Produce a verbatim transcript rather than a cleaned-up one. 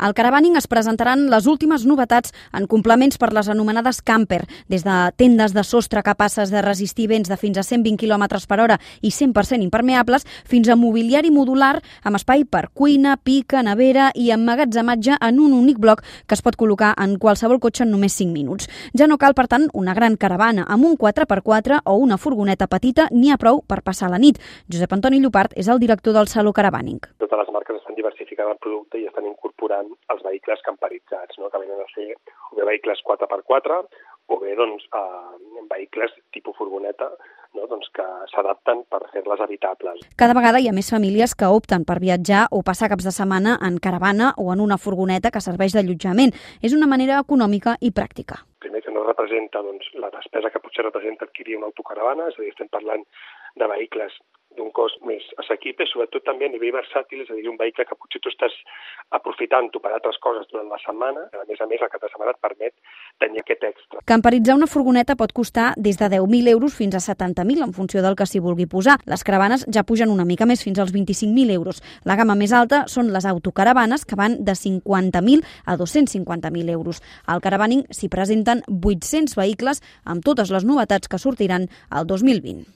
Al Caravaning es presentaran les últimes novetats en complements per les anomenades camper, des de tendes de sostre capaces de resistir vents de fins a cent vint quilòmetres per hora i cent per cent impermeables, fins a mobiliari modular amb espai per cuina, pica, nevera i emmagatzematge en un únic bloc que es pot col·locar en qualsevol cotxe en només cinc minuts. Ja no cal, per tant, una gran caravana amb un quatre per quatre o una furgoneta petita, n'hi ha prou per passar la nit. Josep Antoni Llopart és el director del Saló Caravaning. Totes les marques estan diversificant el producte i estan incorporant els vehicles camperitzats, no? Que venen a ser o bé vehicles quatre per quatre o bé doncs, eh, vehicles tipus furgoneta, no? Doncs que s'adapten per fer-les habitables. Cada vegada hi ha més famílies que opten per viatjar o passar caps de setmana en caravana o en una furgoneta que serveix d'allotjament. És una manera econòmica i pràctica. Primer que no representa doncs, la despesa que potser representa adquirir una autocaravana, és a dir, estem parlant de vehicles d'un cost més assequible, sobretot també a nivell versàtil, és a dir, un vehicle que potser tu estàs aprofitant-ho per altres coses durant la setmana, a més a més el cap de setmana et permet tenir aquest extra. Camperitzar una furgoneta pot costar des de deu mil euros fins a setanta mil en funció del que s'hi vulgui posar. Les caravanes ja pugen una mica més, fins als vint-i-cinc mil euros. La gamma més alta són les autocaravanes, que van de cinquanta mil a dos-cents cinquanta mil euros. Al Caravaning s'hi presenten vuit-cents vehicles amb totes les novetats que sortiran el dos mil vint.